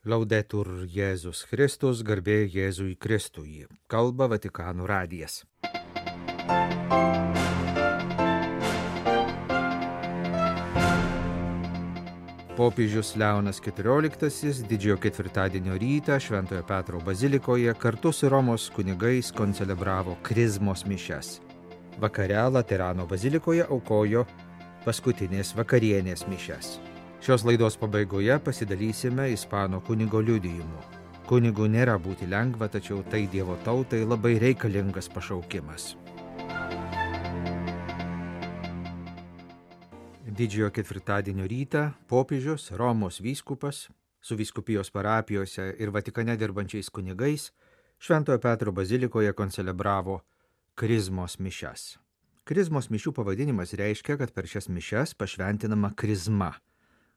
Laudetur Jėzus Kristus, garbė Jėzui Kristui. Kalba Vatikano radijas. Popiežius Leonas XIV didžiojo ketvirtadienio rytą Šventojo Petro bazilikoje kartu su Romos kunigais koncelebravo krizmos mišias. Vakare Laterano bazilikoje aukojo paskutinės vakarienės mišias. Šios laidos pabaigoje pasidalysime ispanų kunigo liudijimu. Kunigų nėra būti lengva, tačiau tai Dievo tautai labai reikalingas pašaukimas. Didžiojo ketvirtadienio rytą popiežius, Romos vyskupas, su vyskupijos parapijose ir Vatikane dirbančiais kunigais Šventojo Petro bazilikoje koncelebravo krizmos mišias. Krizmos mišių pavadinimas reiškia, kad per šias mišias pašventinama krizma,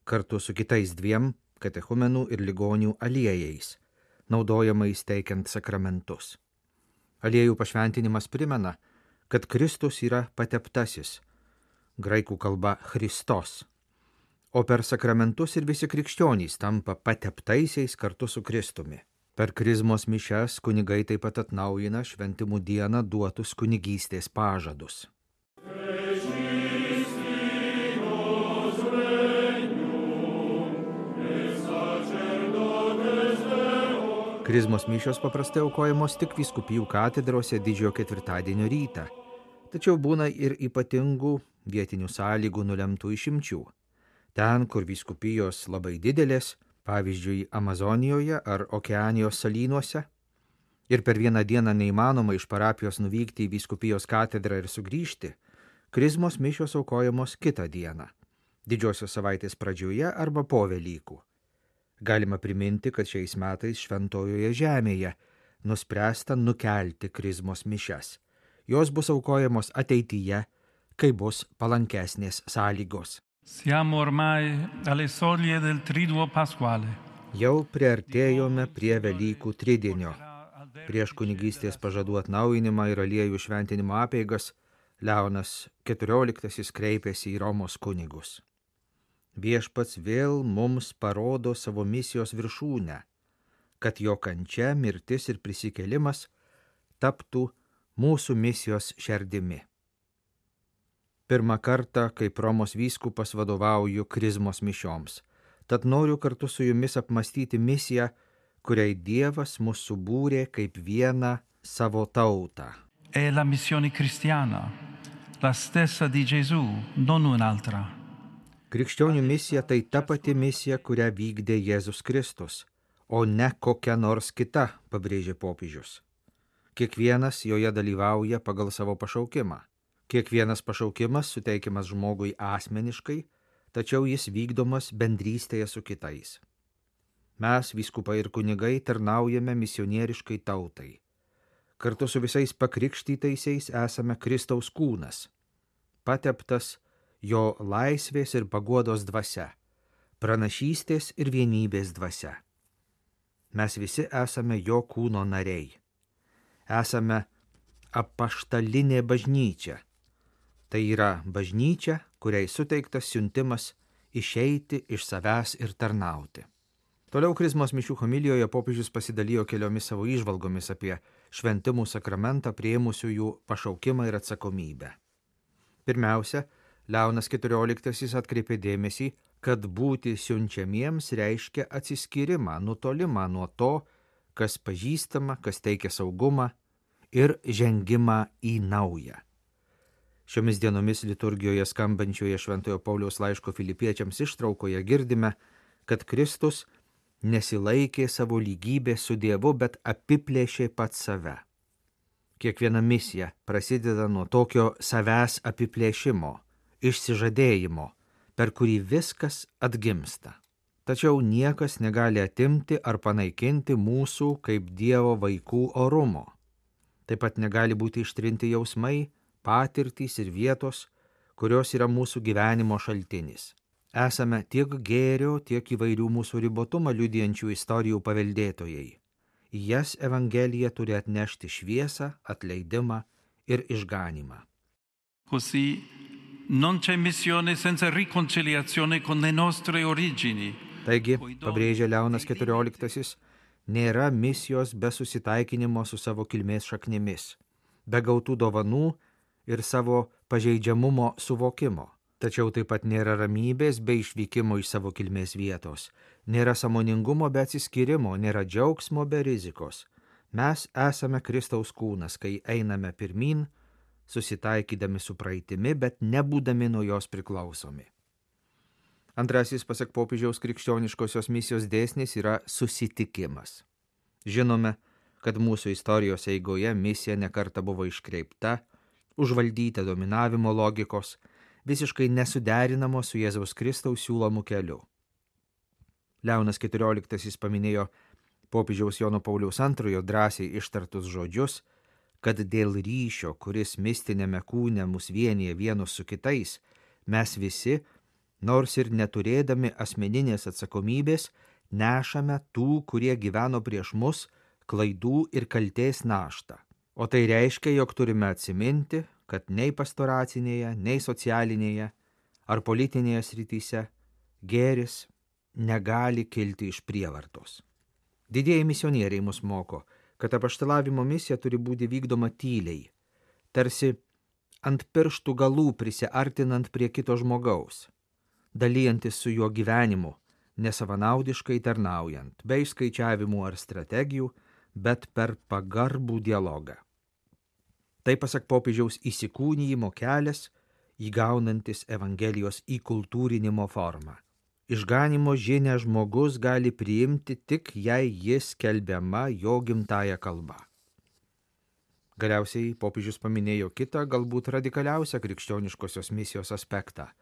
kartu su kitais dviem katechumenų ir ligonių aliejais, naudojamais teikiant sakramentus. Aliejų pašventinimas primena, kad Kristus yra pateptasis, graikų kalba Christos, o per sakramentus ir visi krikščionys tampa pateptaisiais kartu su Kristumi. Per krizmos mišias kunigai taip pat atnaujina šventimų dieną duotus kunigystės pažadus. Krizmos mišios paprastai aukojamos tik vyskupijų katedrose didžiojo ketvirtadienio rytą, tačiau būna ir ypatingų vietinių sąlygų nulemtų išimčių. Ten, kur vyskupijos labai didelės, pavyzdžiui, Amazonijoje ar Okeanijos salynuose, ir per vieną dieną neįmanoma iš parapijos nuvykti į vyskupijos katedrą ir sugrįžti, krizmos mišios aukojamos kitą dieną, didžiosios savaitės pradžioje arba po Velykų. Galima priminti, kad šiais metais Šventojoje žemėje nuspręsta nukelti krizmos mišias. Jos bus aukojamos ateityje, kai bus palankesnės sąlygos. Siamo ormai alle soglie del Triduo Pasquale. Jau priartėjome prie Velykų tridienio. Prieš kunigystės pažadų atnaujinimą ir aliejų šventinimo apeigas Leonas XIV kreipėsi į Romos kunigus. Viešpats vėl mums parodo savo misijos viršūnę, kad jo kančia, mirtis ir prisikėlimas taptų mūsų misijos šerdimi. Pirmą kartą, kaip Romos vyskupas, vadovauju krizmos mišioms, tad noriu kartu su jumis apmastyti misiją, kuriai Dievas mus subūrė kaip vieną savo tautą. È la missione cristiana, la stessa di Gesù, non un'altra. Krikščionių misija tai ta pati misija, kurią vykdė Jėzus Kristus, o ne kokia nors kita, pabrėžė popiežius. Kiekvienas joje dalyvauja pagal savo pašaukimą. Kiekvienas pašaukimas suteikiamas žmogui asmeniškai, tačiau jis vykdomas bendrystėje su kitais. Mes, vyskupai ir kunigai, tarnaujame misionieriškai tautai. Kartu su visais pakrikštytaisiais esame Kristaus kūnas, pateptas jo laisvės ir paguodos dvasia, pranašystės ir vienybės dvasia. Mes visi esame jo kūno nariai. Esame apaštalinė bažnyčia. Tai yra bažnyčia, kuriai suteiktas siuntimas išeiti iš savęs ir tarnauti. Toliau krizmos mišių homilijoje popiežius pasidalijo keliomis savo įžvalgomis apie šventimų sakramentą priėmusiųjų pašaukimą ir atsakomybę. Pirmiausia, Leonas XIV atkreipė dėmesį, kad būti siunčiamiems reiškia atsiskyrimą, nutolimą nuo to, kas pažįstama, kas teikia saugumą ir žengimą į naują. Šiomis dienomis liturgijoje skambančioje Šventojo Pauliaus laiško Filipiečiams ištraukoje girdime, kad Kristus nesilaikė savo lygybės su Dievu, bet apiplėšė pats save. Kiekviena misija prasideda nuo tokio savęs apiplėšimo, išsižadėjimo, per kurį viskas atgimsta. Tačiau niekas negali atimti ar panaikinti mūsų kaip Dievo vaikų orumo. Taip pat negali būti ištrinti jausmai, patirtys ir vietos, kurios yra mūsų gyvenimo šaltinis. Esame tiek gėrio, tiek įvairių mūsų ribotumą liudijančių istorijų paveldėtojai. Į jas Evangelija turi atnešti šviesą, atleidimą ir išganymą. Così non c'è missione senza riconciliazione con le nostre origini. Taigi, pabrėžia Leonas XIV, nėra misijos be susitaikinimo su savo kilmės šaknimis, be gautų dovanų ir savo pažeidžiamumo suvokimo. Tačiau taip pat nėra ramybės be išvykimo iš savo kilmės vietos, nėra sąmoningumo be atsiskyrimo, nėra džiaugsmo be rizikos. Mes esame Kristaus kūnas, kai einame pirmin, susitaikydami su praeitimi, bet nebūdami nuo jos priklausomi. Antrasis, pasak popiežiaus, krikščioniškosios misijos dėsnis yra susitikimas. Žinome, kad mūsų istorijos eigoje misija nekarta buvo iškreipta, užvaldyta dominavimo logikos, visiškai nesuderinamo su Jėzaus Kristaus siūlomu keliu. Leonas XIV paminėjo popiežiaus Jono Pauliaus II drąsiai ištartus žodžius, kad dėl ryšio, kuris mistinėme kūne mus vienyje vienus su kitais, mes visi, nors ir neturėdami asmeninės atsakomybės, nešame tų, kurie gyveno prieš mus, klaidų ir kaltės naštą. O tai reiškia, jog turime atsiminti, kad nei pastoracinėje, nei socialinėje ar politinėje srityse gėris negali kilti iš prievartos. Didieji misionieriai mus moko, kad apaštalavimo misija turi būti vykdoma tyliai, tarsi ant pirštų galų prisiartinant prie kito žmogaus, dalyjantis su juo gyvenimu, nesavanaudiškai tarnaujant, be išskaičiavimų ar strategijų, bet per pagarbų dialogą. Tai, pasak popiežiaus, įsikūnijimo kelias, įgaunantis Evangelijos įkultūrinimo formą. Išganimo žinią žmogus gali priimti tik, jei jis skelbiama jo gimtąja kalba. Galiausiai popiežius paminėjo kitą, galbūt radikaliausią krikščioniškosios misijos aspektą –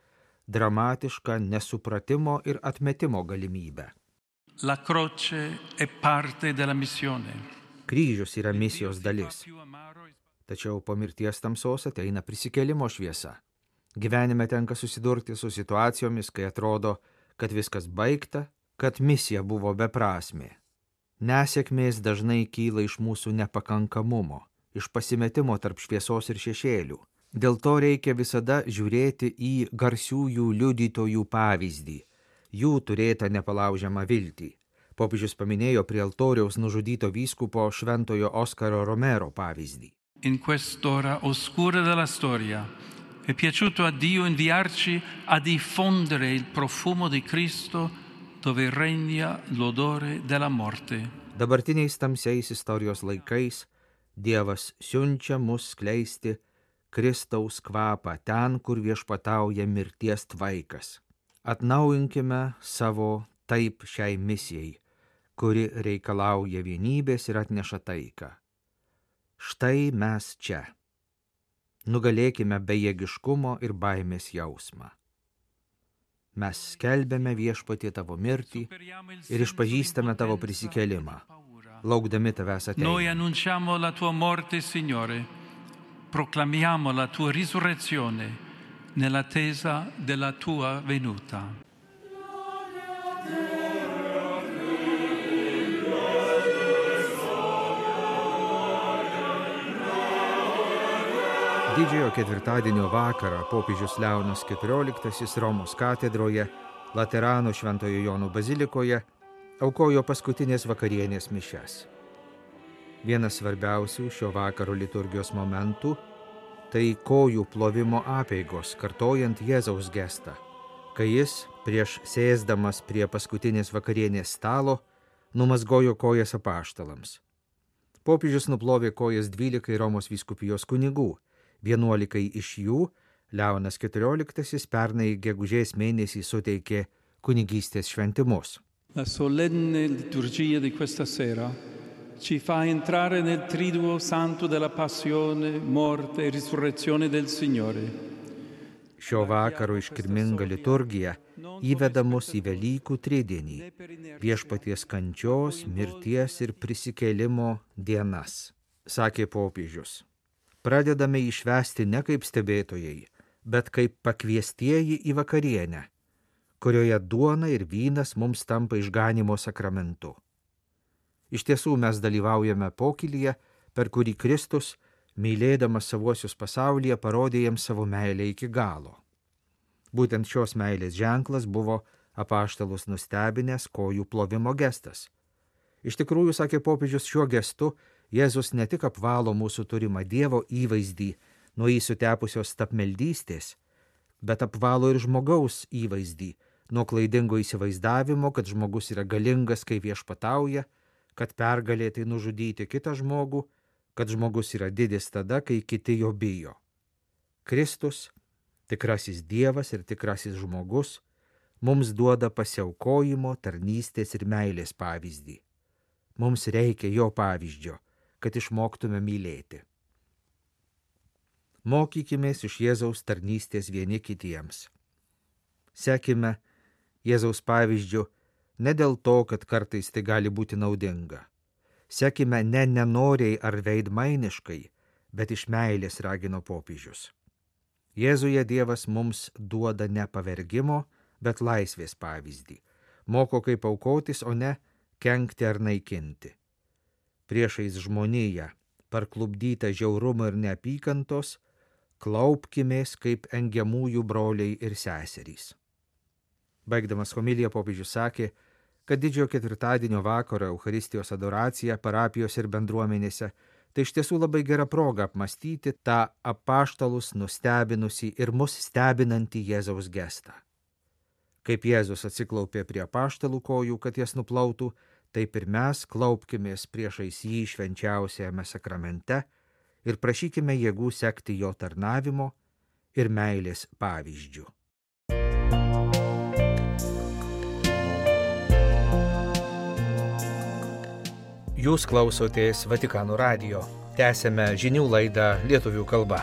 dramatišką nesupratimo ir atmetimo galimybę. La croce è parte della missione. Kryžius yra misijos dalis. Tačiau po mirties tamsos ateina prisikėlimo šviesa. Gyvenime tenka susidurti su situacijomis, kai atrodo, kad viskas baigta, kad misija buvo beprasmė. Nesėkmės dažnai kyla iš mūsų nepakankamumo, iš pasimetimo tarp šviesos ir šešėlių. Dėl to reikia visada žiūrėti į garsiųjų liudytojų pavyzdį, jų turėtą nepalaužiamą viltį. Popiežius paminėjo prie altoriaus nužudyto vyskupo šventojo Oskaro Romero pavyzdį. In quest'ora oscura della storia è piaciuto a Dio inviarci a diffondere il profumo di Cristo dove regna l'odore della morte. Dabartiniais tamsiais istorijos laikais Dievas siunčia mus skleisti Kristaus kvapą ten, kur viešpatauja mirties tvaikas. Atnaujinkime savo taip šiai misijai, kuri reikalauja vienybės ir atneša taiką. Štai mes čia. Nugalėkime bejėgiškumo ir baimės jausmą. Mes skelbiame viešpatie tavo mirtį ir išpažįstame tavo prisikėlimą, laukdami tavęs ateinant. Noi annunciamo la tua morte, Signore, proclamiamo la tua risurrezione nell'attesa della tua venuta. Didžiojo ketvirtadienio vakarą popiežius Leonas XIV Romos katedroje, Laterano Šventojo Jono bazilikoje, aukojo paskutinės vakarienės mišias. Vienas svarbiausių šio vakaro liturgijos momentų – tai kojų plovimo apeigos, kartojant Jėzaus gestą, kai jis, prieš sėsdamas prie paskutinės vakarienės stalo, numazgojo kojas apaštalams. Popiežius nuplovė kojas 12 Romos vyskupijos kunigų. 11 iš jų Leonas XIV pernai gegužės mėnesį suteikė kunigystės šventimus. La solenne liturgia di questa sera ci fa entrare nel triduo santo della passione, morte e risurrezione del Signore. Šio vakaro iškilminga liturgija įveda mus į Velykų tridienį, viešpaties kančios, mirties ir prisikėlimo dienas, sakė popiežius. Pradedame išvesti ne kaip stebėtojai, bet kaip pakviestieji į vakarienę, kurioje duona ir vynas mums tampa išganimo sakramentu. Iš tiesų mes dalyvaujame pokylyje, per kurį Kristus, mylėdamas savuosius pasaulyje, parodė jiems savo meilę iki galo. Būtent šios meilės ženklas buvo apaštalus nustebinęs kojų plovimo gestas. Iš tikrųjų, sakė popiežius, šiuo gestu Jėzus ne tik apvalo mūsų turimą Dievo įvaizdį nuo jį sutepusios tapmeldystės, bet apvalo ir žmogaus įvaizdį nuo klaidingo įsivaizdavimo, kad žmogus yra galingas, kai viešpatauja, kad pergalėtai nužudyti kitą žmogų, kad žmogus yra didis tada, kai kiti jo bijo. Kristus, tikrasis Dievas ir tikrasis žmogus, mums duoda pasiaukojimo, tarnystės ir meilės pavyzdį. Mums reikia jo pavyzdžio, kad išmoktume mylėti. Mokykimės iš Jėzaus tarnystės vieni kitiems. Sekime Jėzaus pavyzdžiu ne dėl to, kad kartais tai gali būti naudinga. Sekime ne nenoriai ar veidmainiškai, bet iš meilės, ragino popiežius. Jėzuje Dievas mums duoda ne pavergimo, bet laisvės pavyzdį. Moko kaip aukotis, o ne kenkti ar naikinti. Priešais žmoniją, parklupdytą žiaurumo ir neapykantos, klaupkimės kaip engiamųjų broliai ir seserys. Baigdamas homiliją popiežius sakė, kad didžiojo ketvirtadienio vakaro Eucharistijos adoracija parapijos ir bendruomenėse tai iš tiesų labai gera proga apmąstyti tą apaštalus nustebinusį ir mus stebinantį Jėzaus gestą. Kaip Jėzus atsiklaupė prie apaštalų kojų, kad jas nuplautų, taip ir mes klaupkimės priešais jį švenčiausiajame sakramente ir prašykime jėgų sekti jo tarnavimo ir meilės pavyzdžių. Jūs klausotės Vatikano radijo. Tęsiame žinių laidą lietuvių kalba.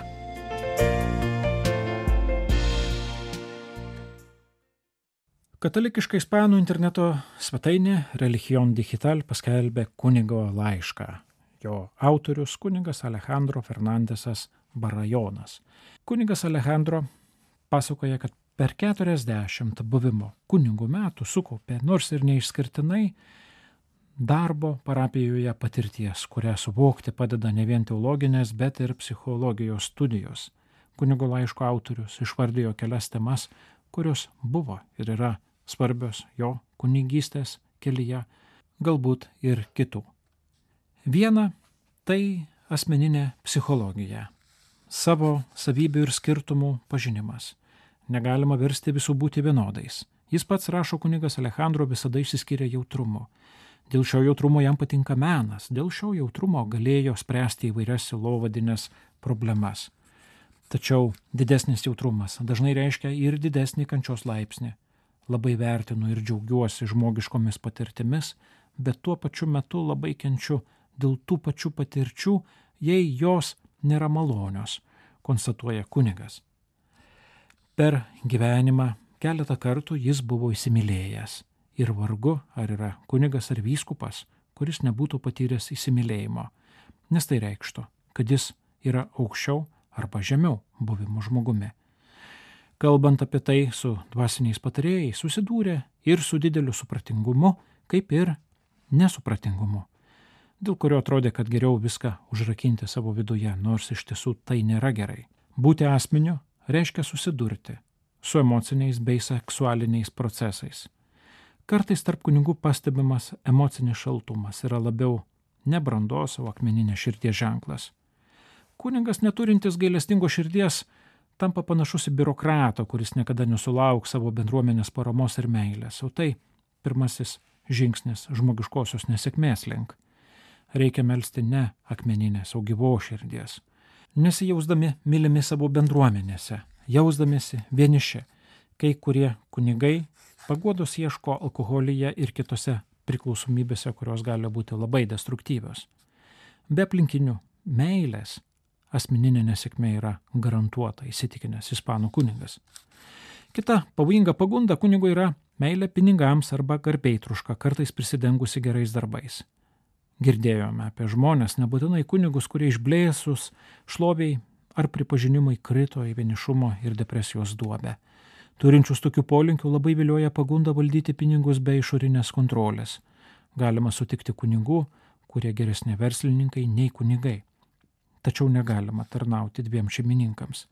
Katalikiška ispanų interneto svetainė Religion Digital paskelbė kunigo laišką. Jo autorius kunigas Alejandro Fernandesas Barajonas. Kunigas Alejandro pasakoja, kad per 40 buvimo kunigų metų sukaupė nors ir neišskirtinai darbo parapijoje patirties, kurią suvokti padeda ne vien teologinės, bet ir psichologijos studijos. Kunigo laiško autorius išvardijo kelias temas, kurios buvo ir yra svarbios jo kunigystės kelyje, galbūt ir kitų. Viena – tai asmeninė psichologija, savo savybių ir skirtumų pažinimas. Negalima versti visų būti vienodais. Jis pats, rašo kunigas Alejandro, visada išsiskiria jautrumu. Dėl šio jautrumo jam patinka menas, dėl šio jautrumo galėjo spręsti įvairias sielovadines problemas. Tačiau didesnis jautrumas dažnai reiškia ir didesnį kančios laipsnį. Labai vertinu ir džiaugiuosi žmogiškomis patirtimis, bet tuo pačiu metu labai kenčiu dėl tų pačių patirčių, jei jos nėra malonios, konstatuoja kunigas. Per gyvenimą keletą kartų jis buvo įsimylėjęs ir vargu ar yra kunigas ar vyskupas, kuris nebūtų patyręs įsimylėjimo, nes tai reikštų, kad jis yra aukščiau arba žemiau buvimo žmogumi. Kalbant apie tai su dvasiniais patarėjais, susidūrė ir su dideliu supratingumu, kaip ir nesupratingumu, dėl kurio atrodė, kad geriau viską užrakinti savo viduje, nors iš tiesų tai nėra gerai. Būti asmeniu reiškia susidurti su emociniais bei seksualiniais procesais. Kartais tarp kunigų pastebimas emocinis šaltumas yra labiau ne brandos, o akmeninė širdies ženklas. Kunigas neturintis gailestingos širdies tampa panašus į biurokratą, kuris niekada nesulauks savo bendruomenės paramos ir meilės, o tai pirmasis žingsnis žmogiškosios nesėkmės link. Reikia melsti ne akmeninės, o gyvos širdies. Nesijausdami mylimi savo bendruomenėse, jausdamiesi vieniši, kai kurie kunigai paguodos ieško alkoholyje ir kitose priklausomybėse, kurios gali būti labai destruktyvios. Be aplinkinių meilės asmeninė nesėkmė yra garantuota, įsitikinęs ispanų kunigas. Kita pavojinga pagunda kunigo yra meilė pinigams arba garbėtruška, kartais prisidengusi gerais darbais. Girdėjome apie žmonės, nebūtinai kunigus, kurie išblėsus šloviai ar pripažinimai krito į vienišumo ir depresijos duobę. Turinčius tokių polinkių labai vilioja pagunda valdyti pinigus be išorinės kontrolės. Galima sutikti kunigų, kurie geresni verslininkai nei kunigai. Tačiau negalima tarnauti dviem šeimininkams.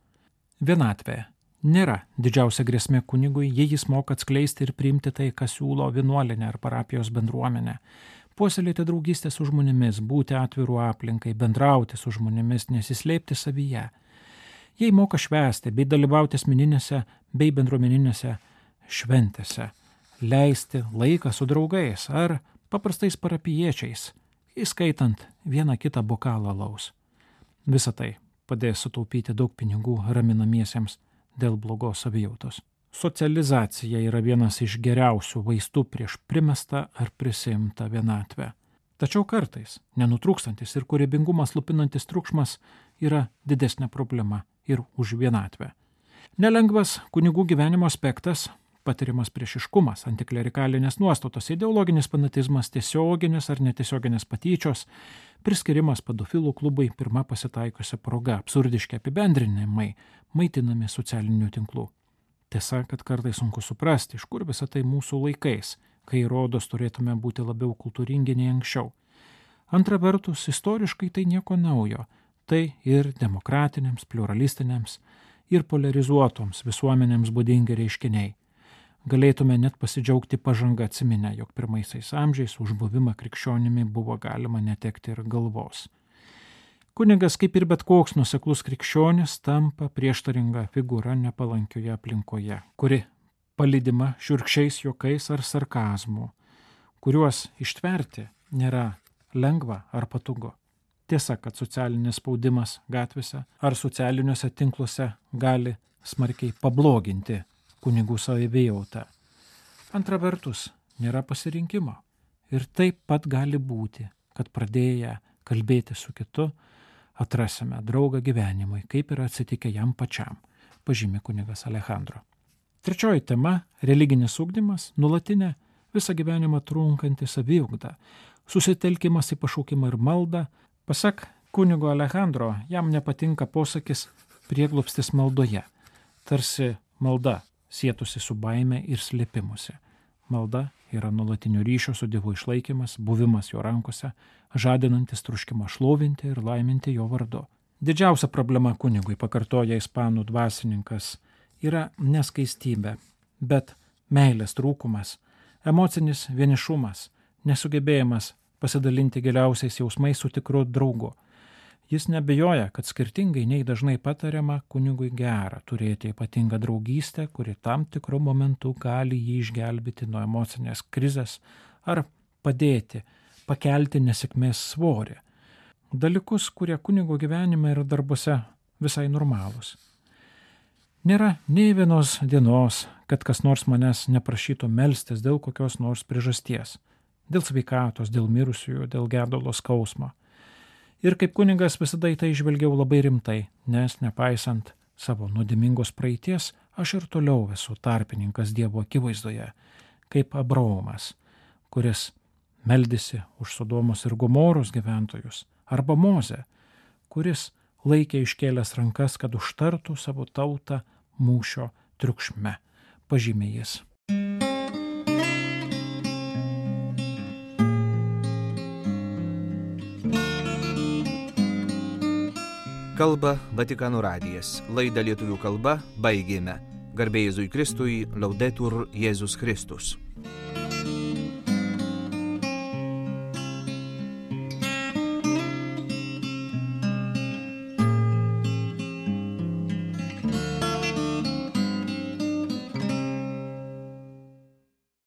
Vienatvė nėra didžiausia grėsmė kunigui, jei jis moka atskleisti ir priimti tai, ką siūlo vienuolinė ar parapijos bendruomenė. Puoselėti draugystę su žmonėmis, būti atvirų aplinkai, bendrauti su žmonėmis, nesislėpti savyje. Jei moka švęsti bei dalyvauti asmeninėse bei bendruomeninėse šventėse, leisti laiką su draugais ar paprastais parapijiečiais, įskaitant vieną kitą bokalą alaus. Visa tai padės sutaupyti daug pinigų raminamiesiems dėl blogos savijautos. Socializacija yra vienas iš geriausių vaistų prieš primestą ar prisimtą vienatvę. Tačiau kartais nenutrūkstantis ir kūrybingumą slopinantis triukšmas yra didesnė problema ir už vienatvę. Nelengvas kunigų gyvenimo aspektas – patiriamas priešiškumas, antiklerikalinės nuostatos, ideologinis fanatizmas, tiesioginės ar netiesioginės patyčios, priskirimas pedofilų klubui pirma pasitaikusia proga, absurdiški apibendrinimai, maitinami socialinių tinklų. Tiesa, kad kartais sunku suprasti, iš kur visą tai mūsų laikais, kai rodos turėtume būti labiau kultūringi nei anksčiau. Antra vertus, istoriškai tai nieko naujo, tai ir demokratinėms, pluralistinėms ir polarizuotoms visuomenėms būdingi reiškiniai. Galėtume net pasidžiaugti pažanga atsiminę, jog pirmaisiais amžiais už buvimą krikščionimi buvo galima netekti ir galvos. Kunigas, kaip ir bet koks nuoseklus krikščionis, tampa prieštaringa figūra nepalankioje aplinkoje, kuri palydima šiurkščiais juokais ar sarkazmu, kuriuos ištverti nėra lengva ar patogu. Tiesa, kad socialinis spaudimas gatvėse ar socialiniuose tinkluose gali smarkiai pabloginti kunigų savijautą. Antra vertus, nėra pasirinkimo. Ir taip pat gali būti, kad pradėję kalbėti su kitu, atrasime draugą gyvenimui, kaip yra atsitikę jam pačiam, pažymi kunigas Alejandro. Trečioji tema – religinis ugdymas, nuolatinė, visą gyvenimą trunkanti saviugda, susitelkimas į pašaukimą ir maldą. Pasak kunigo Alejandro, jam nepatinka posakis prieglobstis maldoje, tarsi malda sietųsi su baime ir slėpimusi. Malda yra nuolatinio ryšio su Dievu išlaikymas, buvimas jo rankose, žadinantis troškimą šlovinti ir laiminti jo vardu. Didžiausia problema kunigui, pakartoja ispanų dvasininkas, yra neskaistybė, bet meilės trūkumas, emocinis vienišumas, nesugebėjimas pasidalinti giliausiais jausmais su tikru draugu. Jis nebejoja, kad skirtingai nei dažnai patariama, kunigui gera turėti ypatingą draugystę, kuri tam tikru momentu gali jį išgelbėti nuo emocinės krizės ar padėti pakelti nesėkmės svorį. Dalykus, kurie kunigo gyvenime ir darbuose visai normalūs. Nėra nei vienos dienos, kad kas nors manęs neprašytų melstis dėl kokios nors priežasties, dėl sveikatos, dėl mirusiųjų, dėl gedulo skausmo. Ir kaip kunigas visada į tai žvelgiau labai rimtai, nes nepaisant savo nuodėmingos praeities, aš ir toliau esu tarpininkas Dievo akivaizdoje, kaip Abraomas, kuris meldėsi už Sodomos ir Gomoros gyventojus, arba Mozė, kuris laikė iškėlęs rankas, kad užtartų savo tautą mūšio triukšme, pažymė jis. Kalba Vatikano radijas. Laidą lietuvių kalba baigėme. Garbė Jėzui Kristui, Laudetur Jėzus Kristus.